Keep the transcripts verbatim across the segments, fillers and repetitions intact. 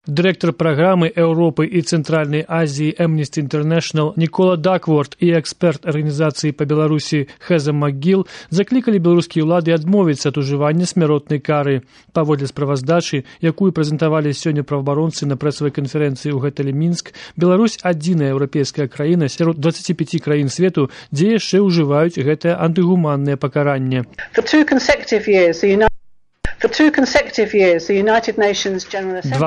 Директор программы Европы и Центральной Азии Amnesty International Никола Дакворт и эксперт организации по Беларуси Хеза Макгил закликали белорусские улады адмовіцца ад ужывання смяротнай кары. Паводле справаздачы, якую прэзентавалі сёння праваабаронцы на прэсавай канферэнцыі ў гатэлі Мінск, Беларусь адзіная еўрапейская краіна сярод дваццаці пяці краін свету, дзе яшчэ ўжываюць гэтае антыгуманнае пакаранне. Два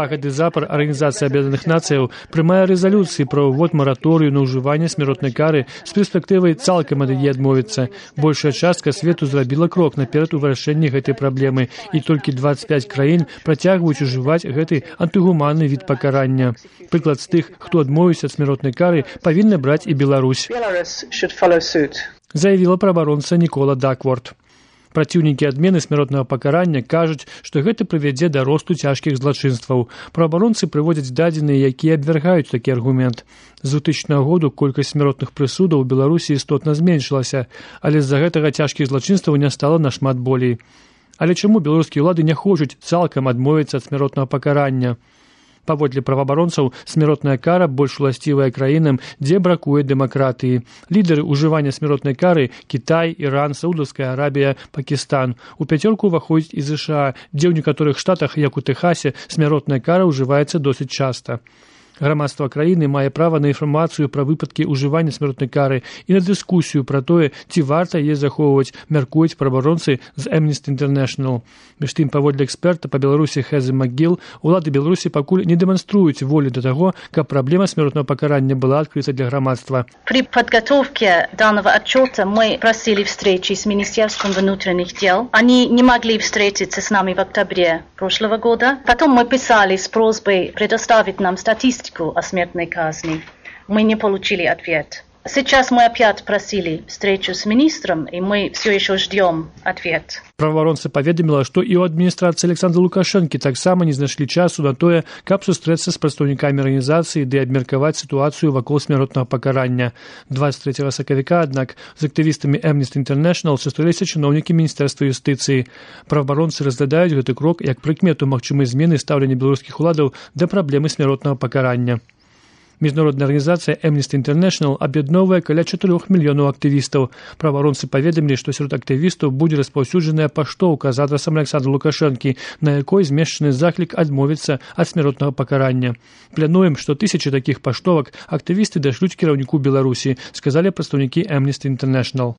гады запар Арганізацыя Аб'яднаных Нацыяў прымае рэзалюцыі пра ўвод мараторыю на ўжыванне смяротнай кары з перспектывай цалкам ад яе адмовіцца. Большая частка свету зрабіла крок наперад у вырашэнні гэтай праблемы, і толькі дваццаць пяць краін працягваюць ужываць гэты антыгуманны від пакарання. Прыклад з тых, хто адмовіўся ад смяротнай кары, павінна браць і Беларусь, заявіла праабаронца Никола Дакворт. Праціўнікі адмены смяротнага пакарання кажуць, што гэта прывядзе да росту цяжкіх злачынстваў. Праабаронцы прыводзяць дадзеныя, якія абвяргаюць такі аргумент. З двухтысячнага году колькасць смяротных прысудаў у Беларусі істотна зменшылася, але з-за гэтага цяжкіх злачынстваў не стала нашмат болей. Але чаму беларускія ўлады не хочуць цалкам адмовіцца ад смяротнага пакарання? Паводле праваабаронцаў, смяротная кара больш уласцівая краінам, дзе бракуе дэмакратыі. Лідары ўжывання смяротнай кары – Кітай, Іран, Саудаўская Арабія, Пакістан. У пяцёрку ўваходзіць і ЗША, дзе ў некаторых штатах, як у Тэхасе, смяротная кара ўжываецца досыць часта. Грамадства краіны мае права на інфармацыю пра выпадкі ўжывання смяротнай кары і на дыскусію пра тое, ці варта яе захоўваць, мяркуюць праабаронцы з Amnesty International. Між тым, паводле эксперта па Беларусі Хезы Макгил, улады Беларусі пакуль не дэманструюць волі да таго, каб праблема смяротнага пакарання была адкрыта для грамадства. При подготовке данного отчета мы просили встречи с Министерством внутренних дел. Они не могли встретиться с нами в октябре прошлого года. Потом мы писали с просьбой предоставить нам статистику о смертной казни. Мы не получили ответ. Сейчас мы опять просили встречу с министром, и мы все еще ждем ответ. Праваабаронца паведаміла, што і ў адміністрацыі Александра Лукашэнкі таксама не знайшлі часу на тое, каб сустрэцца з прадстаўнікамі арганізацыі ды абмеркаваць сітуацыю вакол смяротнага пакарання. дваццаць трэцяга сакавіка, аднак, з актывістамі Amnesty International сустрэліся чыноўнікі Міністэрства юстыцыі. Праваабаронцы разглядаюць гэты крок як прыкмету магчымай змены стаўлення беларускіх уладаў да праблемы смяротнага пакарання. Міжнародная арганізацыя Amnesty International аб'ядноўвае каля чатырох мільёнаў актывістаў. Праваабаронцы паведамілі, што сярод актывістаў будзе распаўсюджаная паштоўка з адрасам Александра Лукашэнкі, на якой змешчаны заклік адмовіцца ад смяротнага пакарання. Плануем, што тысячы такіх паштовак актывісты дашлюць кіраўніку Беларусі, сказалі прадстаўнікі Amnesty International.